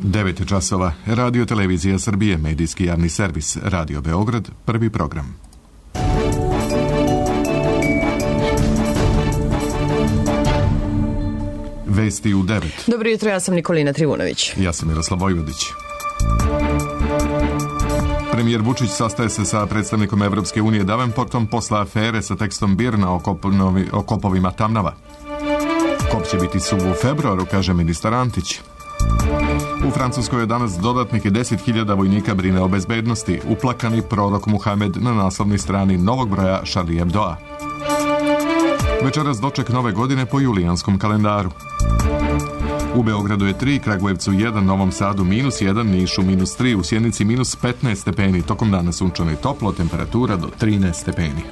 9 časova. Radio Televizija Srbije, medijski javni servis, Radio Beograd, prvi program. Vesti u 9. Dobro jutro, ja sam Nikolina Trivunović. Ja sam Miroslav Vojvodić. Premijer Vučić sastaje se sa predstavnikom Evropske unije Davenportom posle afere sa tekstom BIRN-a o kopovima Tamnava. Kop će biti suv u februaru, kaže ministar Antić. U Francuskoj je danas dodatnih 10.000 vojnika brine o bezbednosti. Uplakani prorok Muhamed na naslovnoj strani novog broja Charlie Hebdoa. Večeras doček nove godine po julijanskom kalendaru. U Beogradu je 3, Kragujevcu 1, Novom Sadu -1, Nišu -3, u Sjenici -15 stepeni. Tokom dana sunčano i toplo, temperatura do 13 stepeni.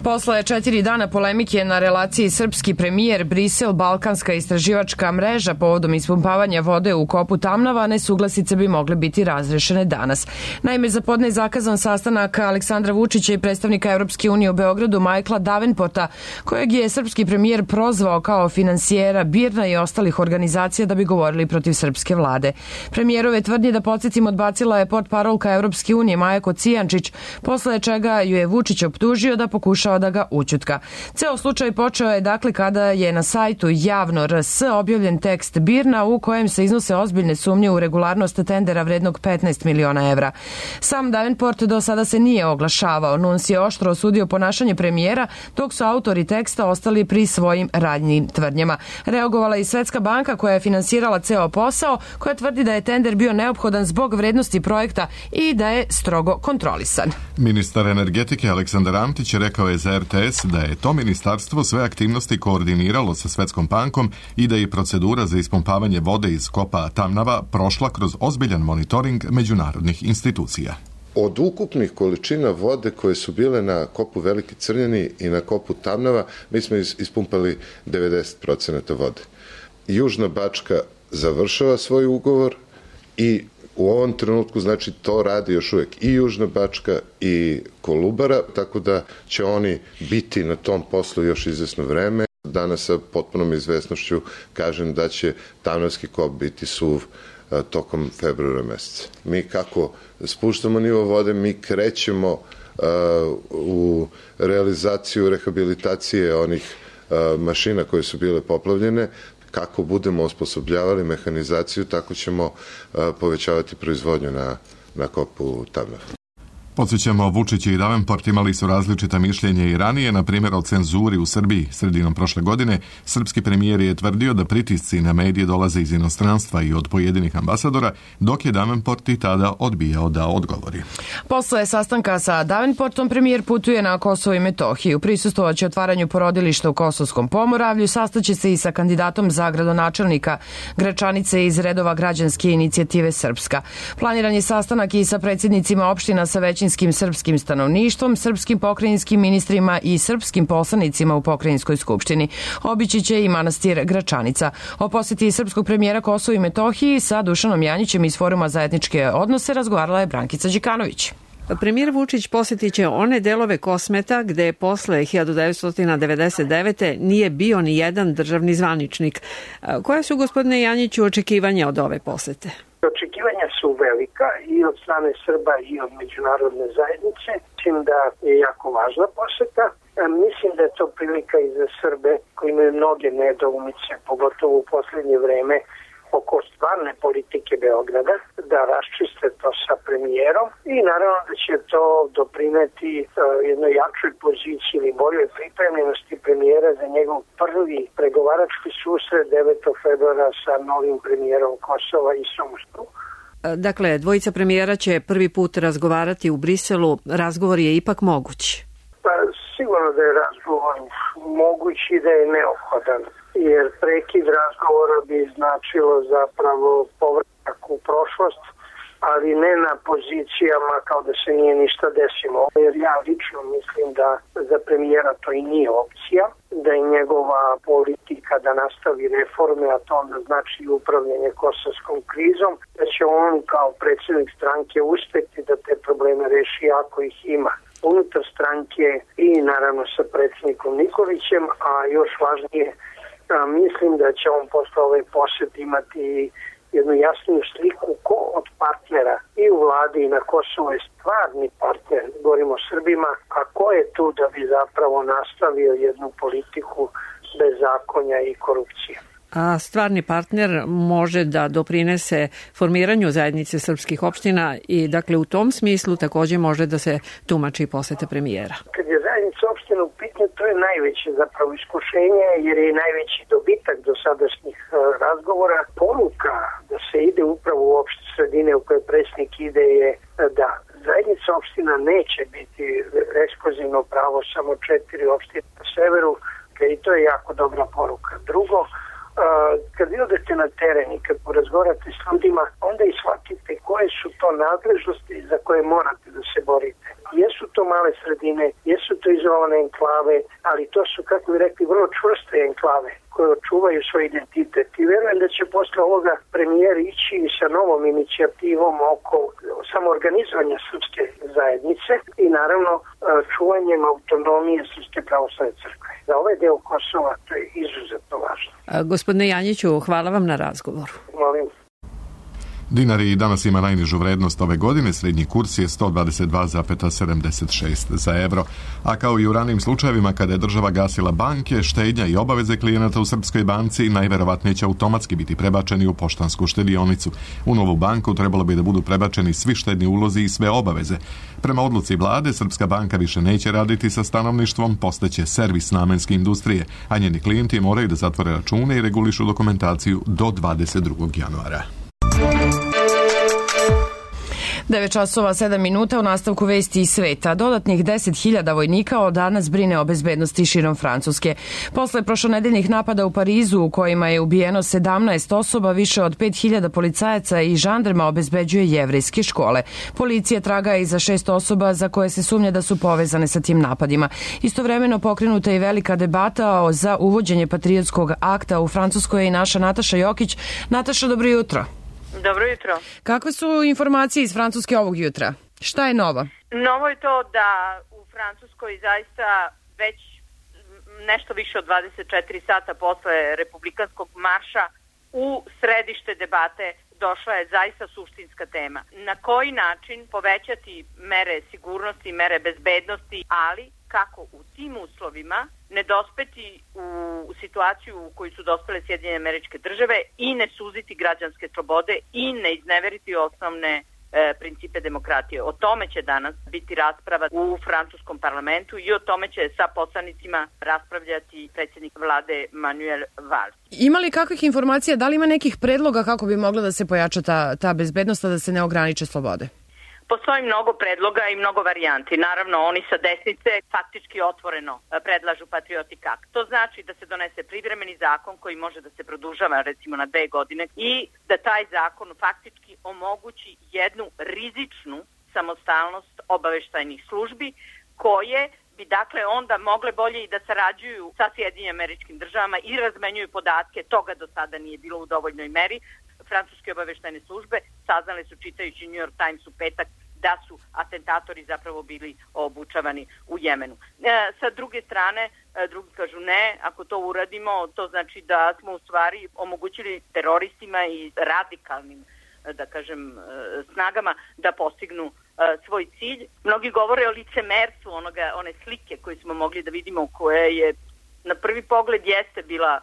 Posle 4 dana polemike na relaciji srpski premijer Brisel Balkanska istraživačka mreža povodom ispumpavanja vode u kopu Tamnava, nesuglasice bi mogle biti razrešene danas. Naime, za podne je zakazan sastanak Aleksandra Vučića i predstavnika Evropske unije u Beogradu Michaela Davenporta, kojeg je srpski premijer prozvao kao finansijera BIRN-a i ostalih organizacija da bi govorili protiv srpske vlade. Premijerove tvrdnje, da podsjetimo, odbacila je portparolka Evropske unije Maja Kocijančić, posle čega ju je Vučić optužio da pokušava da ga ućutka. Ceo slučaj počeo je dakle kada je na sajtu Javno RS objavljen tekst BIRN-a u kojem se iznose ozbiljne sumnje u regularnost tendera vrednog 15 miliona evra. Sam Davenport do sada se nije oglašavao. Nuns je oštro osudio ponašanje premijera, dok su autori teksta ostali pri svojim radnjim tvrdnjama. Reagovala i Svetska banka koja je finansirala ceo posao, koja tvrdi da je tender bio neophodan zbog vrednosti projekta i da je strogo kontrolisan. Ministar energetike Aleksandar Antić rekao je za RTS da je to ministarstvo sve aktivnosti koordiniralo sa Svetskom bankom i da je procedura za ispumpavanje vode iz kopa Tamnava prošla kroz ozbiljan monitoring međunarodnih institucija. Od ukupnih količina vode koje su bile na kopu Veliki Crnjani i na kopu Tamnava, mi smo ispumpali 90% vode. Južna Bačka završava svoj ugovor i u ovom trenutku, znači, to radi još uvek i Južna Bačka i Kolubara, tako da će oni biti na tom poslu još izvesno vreme. Danas sa potpunom izvesnošću kažem da će Tamnavski kop biti suv tokom februara meseca. Mi kako spuštamo nivo vode, mi krećemo u realizaciju rehabilitacije onih mašina koje su bile poplavljene. Kako budemo osposobljavali mehanizaciju, tako ćemo povećavati proizvodnju na kopu Tamnava. Podsjećamo, Vučić i Davenport imali su različita mišljenja i ranije, na primjer o cenzuri u Srbiji. Sredinom prošle godine srpski premijer je tvrdio da pritisci na medije dolaze iz inostranstva i od pojedinih ambasadora, dok je Davenport i tada odbijao da odgovori. Posle sastanka sa Davenportom premijer putuje na Kosovo i Metohiju. Prisustvovaće otvaranju porodilišta u Kosovskom Pomoravlju, sastaće se i sa kandidatom za gradonačelnika Gračanice iz redova Građanske inicijative Srpska. Planiran je sastanak i sa predsjednicima opština sa većinskim srpskim stanovništvom, srpskim pokrajinskim ministrima i srpskim poslanicima u pokrajinskoj skupštini. Obići će i manastir Gračanica. O poseti srpskog premijera Kosovo i Metohiji sa Dušanom Janjićem iz Foruma za etničke odnose razgovarala je Brankica Đikanović. Premijer Vučić posjetit će one delove Kosmeta gde posle 1999. nije bio ni jedan državni zvaničnik. Koja su, gospodine Janjiću, očekivanja od ove posete? Očekivanja su velika i od strane Srba i od međunarodne zajednice. Mislim da je jako važna poseta. Mislim da je to prilika i za Srbe koji imaju mnoge nedoumice, pogotovo u posljednje vreme, oko stvarne politike Beograda, da raščiste to sa premijerom i naravno da će to doprineti jednoj jačoj poziciji ili boljoj pripremljenosti premijera za njegov prvi pregovarački susret 9. februara sa novim premijerom Kosova i Somskom. Dakle, dvojica premijera će prvi put razgovarati u Briselu. Razgovor je ipak moguć. Pa sigurno da je razgovor moguć i da je neophodan, jer prekid razgovora bi značilo zapravo povratak u prošlost, ali ne na pozicijama kao da se nije ništa desilo. Jer ja lično mislim da za premijera to i nije opcija, da je njegova politika da nastavi reforme, a to onda znači upravljanje kosovskom krizom, da će on kao predsjednik stranke uspjeti da te probleme reši ako ih ima. Unutar stranke i naravno sa predsjednikom Nikolićem, a još važnije Mislim da će on posle ove posete imati jednu jasniju sliku ko od partnera i u vladi i na Kosovo je stvarni partner, govorimo o Srbima, a ko je tu da bi zapravo nastavio jednu politiku bezakonja i korupcije. A stvarni partner može da doprinese formiranju zajednice srpskih opština i dakle u tom smislu takođe može da se tumači posete premijera. Kad je zajednica opština u pitanju, to je najveće zapravo iskušenje jer je najveći dobitak do sadašnjih razgovora. Poruka da se ide upravo u opšte sredine u koje predsjednik ide je da zajednica opština neće biti ekskluzivno pravo samo 4 opštine na severu i to je jako dobra poruka. Drugo, kad vi odete na teren i kad porazgovarate s ljudima, onda i shvatite koje su to nadležnosti za koje morate da se borite. Jesu to male sredine, jesu to izolovane enklave, ali to su, kako bi rekli, vrlo čvrste enklave koje očuvaju svoj identitet. I verujem da će posle ovoga premijer ići sa novom inicijativom oko samoorganizovanja srpske zajednice i naravno čuvanjem autonomije Srpske pravoslavne crkve. Za ovaj deo Kosova to je izuzetno važno. Gospodine Janjiću, hvala vam na razgovoru. Molim. Dinar i danas ima najnižu vrednost ove godine, srednji kurs je 122,76 za evro. A kao i u ranijim slučajevima kada je država gasila banke, štednja i obaveze klijenata u Srpskoj banci najverovatnije će automatski biti prebačeni u poštansku štedionicu. U novu banku trebalo bi da budu prebačeni svi štedni ulozi i sve obaveze. Prema odluci vlade, Srpska banka više neće raditi sa stanovništvom, postaće servis namenske industrije, a njeni klijenti moraju da zatvore račune i regulišu dokumentaciju do 22. januara. 9 časova 7 minuta u nastavku vesti iz sveta. Dodatnih 10.000 vojnika od danas brine o bezbednosti širom Francuske. Posle prošlonedeljnih napada u Parizu u kojima je ubijeno 17 osoba, više od 5.000 policajaca i žandarma obezbeđuje jevrejske škole. Policija traga i za 6 osoba za koje se sumnja da su povezane sa tim napadima. Istovremeno pokrenuta je velika debata za uvođenje patriotskog akta u Francuskoj i naša Nataša Jokić. Nataša, dobro jutro. Dobro jutro. Kakve su informacije iz Francuske ovog jutra? Šta je novo? Novo je to da u Francuskoj zaista već nešto više od 24 sata posle republikanskog marša u središte debate došla je zaista suštinska tema. Na koji način povećati mere sigurnosti, mere bezbednosti, ali kako u tim uslovima ne dospeti u situaciju u kojoj su dospele Sjedinjene Američke Države i ne suziti građanske slobode i ne izneveriti osnovne principe demokratije. O tome će danas biti rasprava u francuskom parlamentu i o tome će sa poslanicima raspravljati predsjednik vlade Manuel Valls. Ima li kakvih informacija, da li ima nekih predloga kako bi mogla da se pojača ta bezbednost, da se ne ograniče slobode? Postoji mnogo predloga i mnogo varijanti. Naravno, oni sa desnice faktički otvoreno predlažu Patriotic Act. To znači da se donese privremeni zakon koji može da se produžava recimo na 2 godine i da taj zakon faktički omogući jednu rizičnu samostalnost obaveštajnih službi koje bi dakle onda mogle bolje i da sarađuju sa Sjedinjenim Američkim Državama i razmenjuju podatke. Toga do sada nije bilo u dovoljnoj meri. Francuske obaveštajne službe saznale su, čitajući New York Times u petak, da su atentatori zapravo bili obučavani u Jemenu. Sa druge strane, drugi kažu ne, ako to uradimo, to znači da smo u stvari omogućili teroristima i radikalnim, da kažem, snagama da postignu svoj cilj. Mnogi govore o licemerstvu one slike koje smo mogli da vidimo, koja je na prvi pogled jeste bila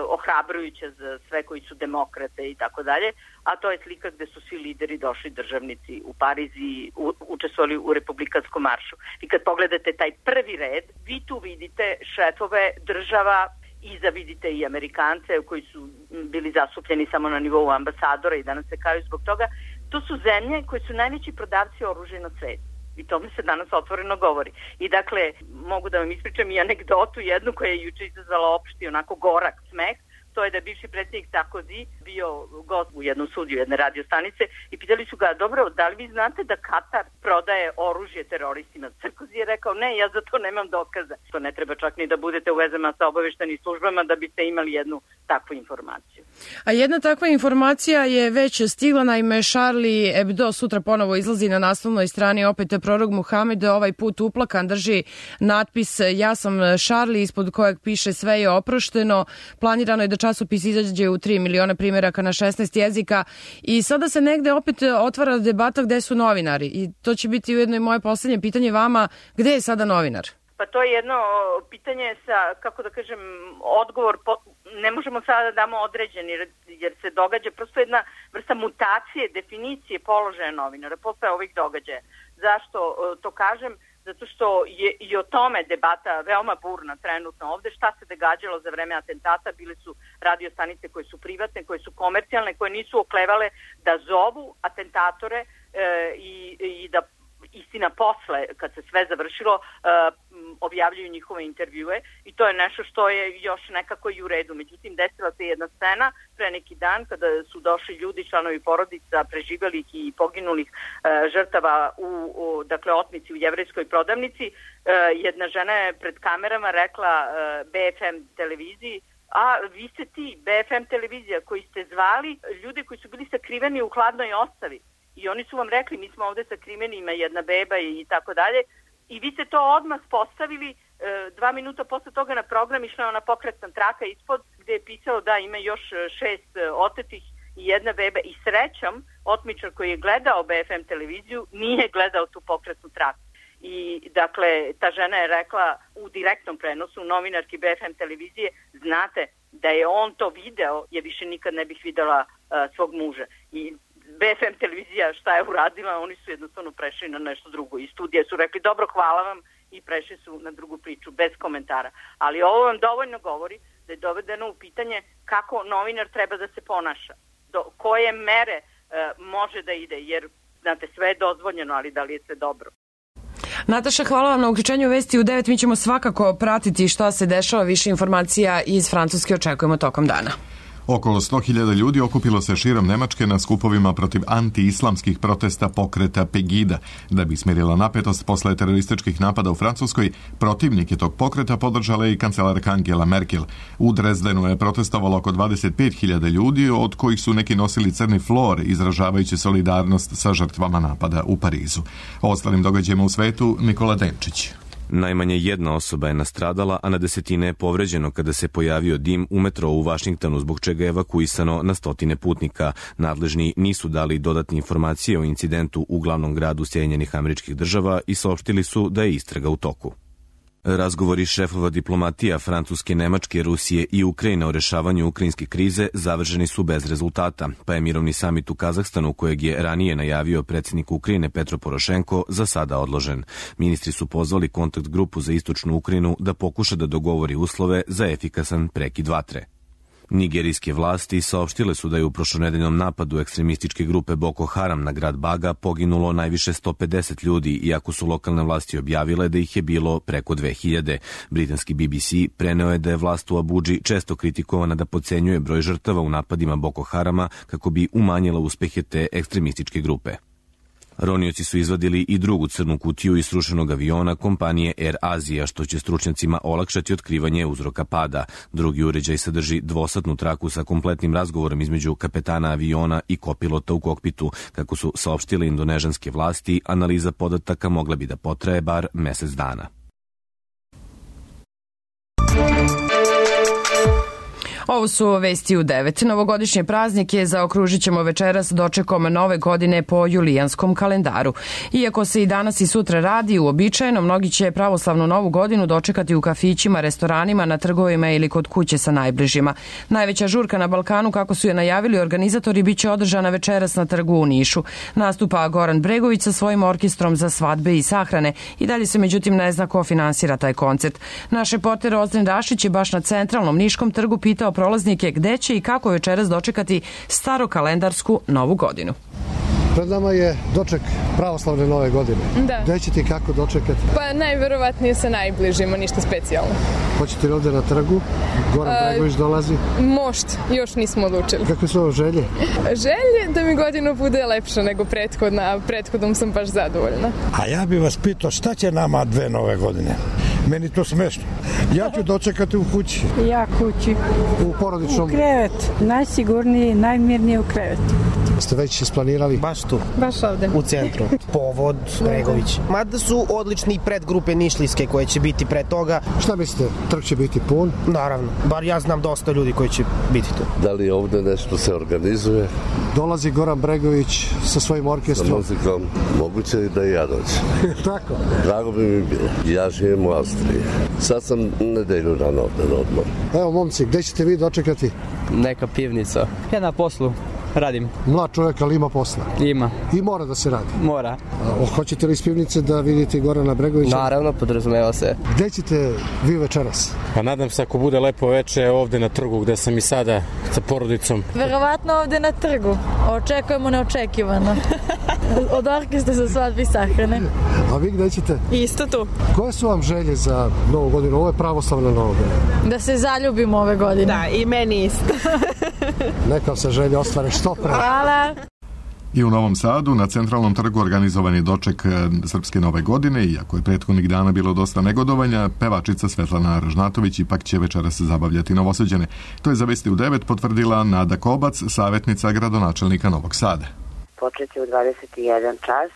ohrabrujuća za sve koji su demokrate i tako dalje, a to je slika gde su svi lideri došli, državnici u Pariz i učestvovali u republikanskom maršu. I kad pogledate taj prvi red, vi tu vidite šefove država, iza vidite i Amerikance koji su bili zastupljeni samo na nivou ambasadora i danas se kaju zbog toga. To su zemlje koje su najveći prodavci oružja na svetu. I tome se danas otvoreno govori. I dakle, mogu da vam ispričam i anegdotu jednu koja je juče izazvala opšti onako gorak smeh. To je da bivši predsjednik Sarkozy bio gost u jednom studiju jedne radio stanice i pitali su ga, dobro, da li vi znate da Katar prodaje oružje teroristima? Sarkozy je rekao, ne, ja za to nemam dokaza. To ne treba čak ni da budete u vezama sa obaveštenim službama da biste imali jednu takvu informaciju. A jedna takva informacija je već stigla, naime Charlie Hebdo sutra ponovo izlazi na naslovnoj strani, opet prorok Muhamed, ovaj put uplakan, drži natpis ja sam Charlie, ispod kojeg piše sve je oprošteno. Planirano je da časopis izađe u 3 miliona primjeraka na 16 jezika i sada se negde opet otvara debata gde su novinari i to će biti ujedno i moje poslednje pitanje vama, gde je sada novinar? Pa to je jedno pitanje sa, kako da kažem, odgovor, ne možemo sada da damo određeni jer se događa prosto jedna vrsta mutacije, definicije položaja novinara posle ovih događaja. Zašto to kažem? Zato što je i o tome debata veoma burna trenutno ovde. Šta se događalo za vreme atentata? Bile su radio stanice koje su privatne, koje su komercijalne, koje nisu oklevale da zovu atentatore i da istina posle, kad se sve završilo, objavljuju njihove intervjue i to je nešto što je još nekako i u redu. Međutim, desila se jedna scena pre neki dan kada su došli ljudi, članovi porodica preživjelih i poginulih žrtava u dakle, otmici u jevrejskoj prodavnici. Jedna žena je pred kamerama rekla BFM televiziji, a vi ste ti, BFM televizija, koji ste zvali ljude koji su bili sakriveni u hladnoj ostavi. I oni su vam rekli, mi smo ovde sakriveni, ima jedna beba i tako dalje. I vi ste to odmah postavili, 2 minuta posle toga na program išla je ona pokretna traka ispod gde je pisalo da ima još 6 otetih i jedna beba. I srećom, otmičar koji je gledao BFM televiziju nije gledao tu pokretnu traku. I dakle, ta žena je rekla u direktnom prenosu novinarki BFM televizije, znate da je on to video, je više nikad ne bih videla svog muža. I BFM televizija šta je uradila, oni su jednostavno prešli na nešto drugo. I studije su rekli, dobro, hvala vam, i prešli su na drugu priču, bez komentara. Ali ovo vam dovoljno govori da je dovedeno u pitanje kako novinar treba da se ponaša, do koje mere može da ide, jer, znate, sve je dozvoljeno, ali da li je sve dobro. Nataša, hvala vam na uključenju Vesti u 9. Mi ćemo svakako pratiti šta se dešava, više informacija iz Francuske očekujemo tokom dana. Okolo 100.000 ljudi okupilo se širom Nemačke na skupovima protiv anti-islamskih protesta pokreta Pegida. Da bi smirila napetost posle terorističkih napada u Francuskoj, protivnike tog pokreta podržala i kancelarka Angela Merkel. U Drezdenu je protestovalo oko 25.000 ljudi, od kojih su neki nosili crni flor, izražavajući solidarnost sa žrtvama napada u Parizu. O ostalim događajima u svetu, Nikola Denčić. Najmanje jedna osoba je nastradala, a na desetine je povređeno kada se pojavio dim u metrou u Vašingtonu, zbog čega je evakuisano na stotine putnika. Nadležni nisu dali dodatne informacije o incidentu u glavnom gradu Sjedinjenih Američkih Država i saopštili su da je istraga u toku. Razgovori šefova diplomatija Francuske, Nemačke, Rusije i Ukrajine o rešavanju ukrajinske krize završeni su bez rezultata, pa je mirovni samit u Kazahstanu, kojeg je ranije najavio predsjednik Ukrajine Petro Porošenko, za sada odložen. Ministri su pozvali kontakt grupu za istočnu Ukrajinu da pokuša da dogovori uslove za efikasan prekid vatre. Nigerijske vlasti saopštile su da je u prošlonedeljnom napadu ekstremističke grupe Boko Haram na grad Baga poginulo najviše 150 ljudi, iako su lokalne vlasti objavile da ih je bilo preko 2000. Britanski BBC preneo je da je vlast u Abudži često kritikovana da podcenjuje broj žrtava u napadima Boko Harama kako bi umanjila uspehe te ekstremističke grupe. Ronioci su izvadili i drugu crnu kutiju iz srušenog aviona kompanije Air Asia, što će stručnjacima olakšati otkrivanje uzroka pada. Drugi uređaj sadrži dvosatnu traku sa kompletnim razgovorom između kapetana aviona i kopilota u kokpitu. Kako su saopštile indonežanske vlasti, analiza podataka mogla bi da potraje bar mesec dana. Ovo su Vesti u 9. Novogodišnje praznike zaokružit ćemo večeras dočekom nove godine po julijanskom kalendaru. Iako se i danas i sutra radi uobičajeno, mnogi će pravoslavnu novu godinu dočekati u kafićima, restoranima, na trgovima ili kod kuće sa najbližima. Najveća žurka na Balkanu, kako su je najavili organizatori, biće održana večeras na trgu u Nišu. Nastupa Goran Bregović sa svojim orkestrom za svadbe i sahrane. I dalje se međutim ne zna ko finansira taj koncert. Naš reporter Ozren Rašić je baš na centralnom Niškom trgu pitao prolaznike gde će i kako večeras dočekati starokalendarsku novu godinu. Pred nama je doček pravoslavne nove godine. Da. Gde ćete i kako dočekati? Pa najverovatnije sa najbližima, ništa specijalno. Hoćete li ovde na trgu? Goran Bregović dolazi? Možda, još nismo odlučili. Kakve su ovo želje? Želje da mi godina bude lepša nego prethodna, a prethodnom sam baš zadovoljna. A ja bih vas pitao šta će nama 2 nove godine? Meni to smešno. Ja ću dočekati u kući. Ja kući. U porodičnom? U krevet. Najsigurniji, najmirnije u krevetu. Ste već isplanirali? Baš tu. Baš ovde. U centru. Povod Bregović. Mada su odlični predgrupe Nišlijske koje će biti pre toga. Šta mislite, trg će biti pun? Naravno. Bar ja znam dosta ljudi koji će biti tu. Da li ovde nešto se organizuje? Dolazi Goran Bregović sa svojim orkestrom. Sa muzikom. Moguće i da i ja dođem. Tako? Drago bi mi bilo. Ja živim u Austriji. Sad sam nedelju rano ovde na odmor. Evo, momci, gde ćete vi dočekati? Neka pivnica. Ja na poslu. Radim. Mlad čovjek, ali ima posla? Ima. I mora da se radi? Mora. Hoćete li iz pivnice da vidite Gorana Bregovića? Naravno, podrazumeva se. Gde ćete vi večeras? Pa nadam se ako bude lepo veče ovde na trgu gde sam i sada sa porodicom. Verovatno ovde na trgu. Očekujemo neočekivano. Od orkestra za svadbi sahrane. A vi gde ćete? Isto tu. Koje su vam želje za novu godinu? Ovo je pravoslavna nova godina. Da se zaljubimo ove godine. Da, i meni isto. Neka se želje ostvare što pre. Hvala. I u Novom Sadu na centralnom trgu organizovan je doček Srpske nove godine, iako je prethodnih dana bilo dosta negodovanja, pevačica Svetlana Ražnatović ipak će večeras zabavljati Novosađane. To je za Vesti u 9 potvrdila Nada Kobac, savjetnica gradonačelnika Novog Sada. Počet je u 21 čas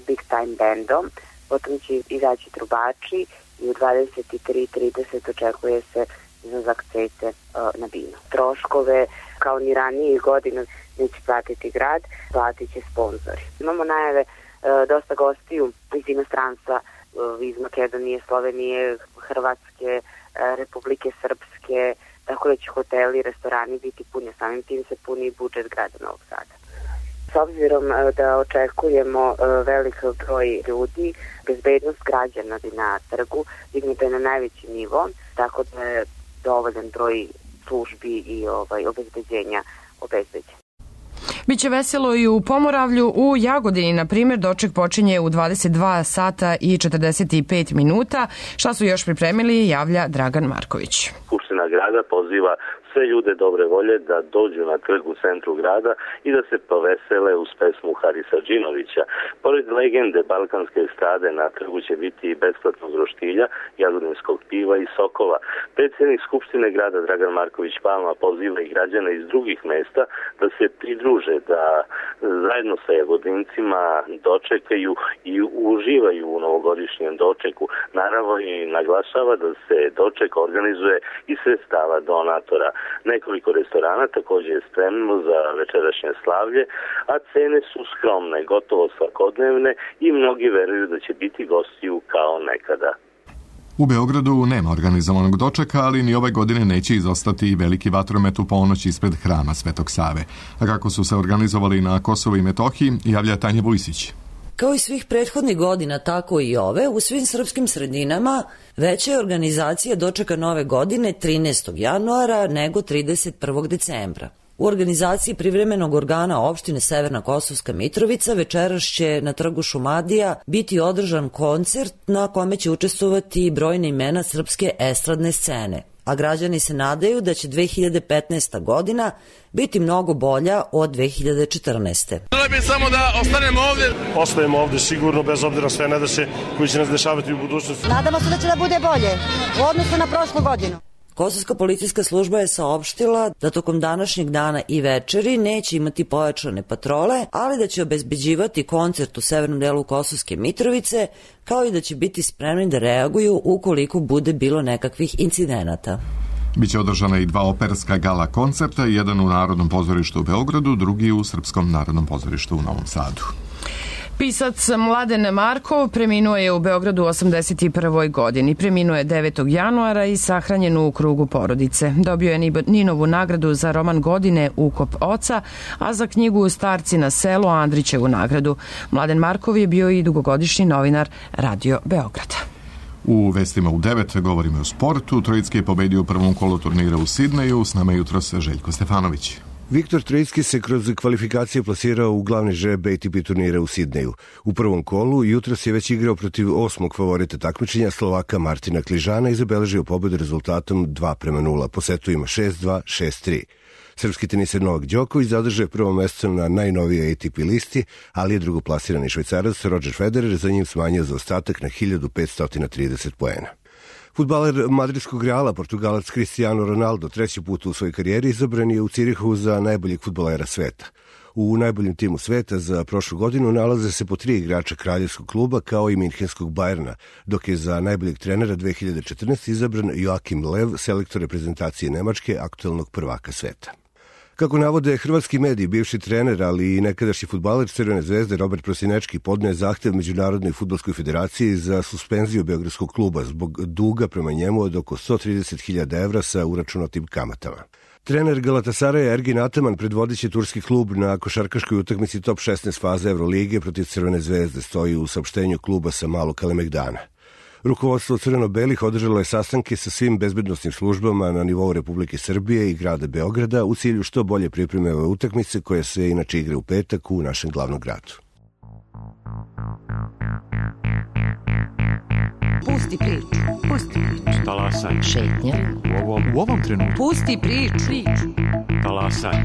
Big Time bandom, potom će izaći trubači i u 23:30 očekuje se izlazak cete na binu. Troškove, kao ni ranijih godina, neće platiti grad, platit će sponzori. Imamo najave dosta gostiju iz inostranstva, iz Makedonije, Slovenije, Hrvatske, Republike Srpske, tako da će hoteli i restorani biti puni, samim tim se puni i budžet grada Novog Sada. S obzirom da očekujemo velik broj ljudi, bezbednost građana na trgu dignuta je na najveći nivo, tako da je dovoljan broj službi i obezbeđenja obezbeđen. Biće veselo i u Pomoravlju. U Jagodini, na primjer, doček počinje u 22 sata i 45 minuta. Šta su još pripremili, javlja Dragan Marković. Skupština grada poziva sve ljude dobre volje da dođu na trg u centru grada i da se povesele uz pesmu Harisa Džinovića. Pored legende balkanske estrade na trgu će biti i besplatnog roštilja, jagodinskog piva i sokova. Predsjednik Skupštine grada Dragan Marković Palma poziva i građane iz drugih mesta da se pridruže, da zajedno sa jagodincima dočekaju i uživaju u novogodišnjem dočeku. Naravno i naglašava da se doček organizuje iz sredstava donatora. Nekoliko restorana također je spremno za večerašnje slavlje, a cene su skromne, gotovo svakodnevne i mnogi veruju da će biti gostiju kao nekada. U Beogradu nema organizovanog dočeka, ali ni ove godine neće izostati i veliki vatromet u ponoć ispred hrama Svetog Save. A kako su se organizovali na Kosovu i Metohiji, javlja Tanja Vujsić. Kao i svih prethodnih godina, tako i ove, u svim srpskim sredinama veća je organizacija dočeka nove godine 13. januara nego 31. decembra. U organizaciji privremenog organa opštine Severna Kosovska Mitrovica večeras će na trgu Šumadija biti održan koncert na kome će učestvovati brojne imena srpske estradne scene, a građani se nadaju da će 2015. godina biti mnogo bolja od 2014. Želim bi samo da ostanemo ovdje. Ostajemo ovdje sigurno, bez obzira sve nedaće koji će nas dešavati u budućnosti. Nadamo se da će da bude bolje u odnosu na prošlu godinu. Kosovska policijska služba je saopštila da tokom današnjeg dana i večeri neće imati pojačane patrole, ali da će obezbeđivati koncert u severnom delu Kosovske Mitrovice, kao i da će biti spremni da reaguju ukoliko bude bilo nekakvih incidenata. Biće održana i 2 operska gala koncerta, jedan u Narodnom pozorištu u Beogradu, drugi u Srpskom narodnom pozorištu u Novom Sadu. Pisac Mladen Markov preminuo je u Beogradu u 81. godini. Preminuo je 9. januara i sahranjen u krugu porodice. Dobio je Ninovu nagradu za roman godine Ukop oca, a za knjigu Starci na selu Andrićevu nagradu. Mladen Markov je bio i dugogodišnji novinar Radio Beograda. U vestima u 9 govorimo o sportu. Trojicki je pobedio u prvom kolu turnira u Sidneju. S nama je jutros Željko Stefanović. Viktor Trojicki se kroz kvalifikacije plasirao u glavni žreb ATP turnira u Sidneju. U prvom kolu jutros je već igrao protiv 8. favorita takmičenja Slovaka Martina Kližana i zabeležio pobedu rezultatom 2:0. Po setu ima 6-2, 6-3. Srpski teniser Novak Đoković zadržao prvo mesto na najnovijoj ATP listi, ali je drugoplasirani Švajcarac Roger Federer za njim smanjio zaostatak na 1530 poena. Fudbaler madridskog Reala, Portugalac Cristiano Ronaldo, treći put u svojoj karijeri izabran je u Cirihu za najboljeg fudbalera sveta. U najboljem timu sveta za prošlu godinu nalaze se po 3 igrača kraljevskog kluba kao i minhenskog Bayerna, dok je za najboljeg trenera 2014 izabran Joachim Löw, selektor reprezentacije Nemačke, aktuelnog prvaka sveta. Kako navode hrvatski mediji, bivši trener, ali i nekadašnji fudbaler Crvene zvezde Robert Prosinečki podne zahtev Međunarodnoj fudbalskoj federaciji za suspenziju beogradskog kluba zbog duga prema njemu od oko 130.000 evra sa uračunatim kamatama. Trener Galatasaraja Ergin Ataman predvodiće turski klub na košarkaškoj utakmici top 16 faze Evrolige protiv Crvene zvezde, stoji u saopštenju kluba sa Malog Kalemegdana. Rukovodstvo crveno-belih održalo je sastanke sa svim bezbednosnim službama na nivou Republike Srbije i grada Beograda u cilju što bolje pripreme ove utakmice koje se inače igra u petak u našem glavnom gradu. Pusti priču. Pusti priču. Talasaj. Šetnja. U ovom trenutku. Pusti priču. Talasaj.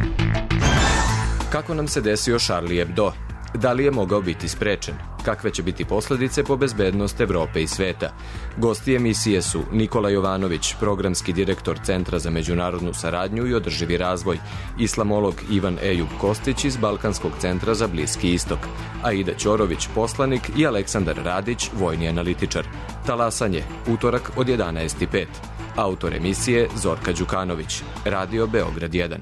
Kako nam se desio Charlie Hebdo? Da li je mogao biti sprečen? Kakve će biti posledice po bezbednost Evrope i sveta? Gosti emisije su Nikola Jovanović, programski direktor Centra za međunarodnu saradnju i održivi razvoj, islamolog Ivan Ejub Kostić iz Balkanskog centra za Bliski istok, Aida Ćorović, poslanik i Aleksandar Radić, vojni analitičar. Talasanje, utorak od 11:05. Autor emisije Zorka Đukanović. Radio Beograd 1.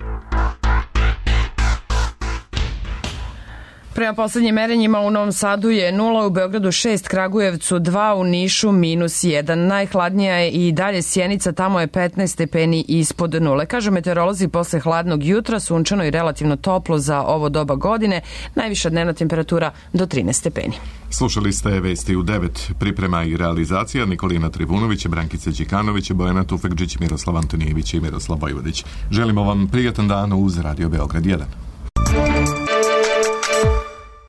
Prema poslednjim merenjima u Novom Sadu je 0, u Beogradu 6, Kragujevcu 2, u Nišu -1. Najhladnija je i dalje Sjenica, tamo je 15 stepeni ispod nule. Kažu meteorolozi, posle hladnog jutra, sunčano i relativno toplo za ovo doba godine, najviša dnevna temperatura do 13 stepeni. Slušali ste vesti u 9, priprema i realizacija Nikolina Trivunović, Brankica Đikanović, Bojana Tufekđić, Miroslav Antonijević i Miroslav Vojvodić. Želimo vam prijatan dan uz Radio Beograd 1.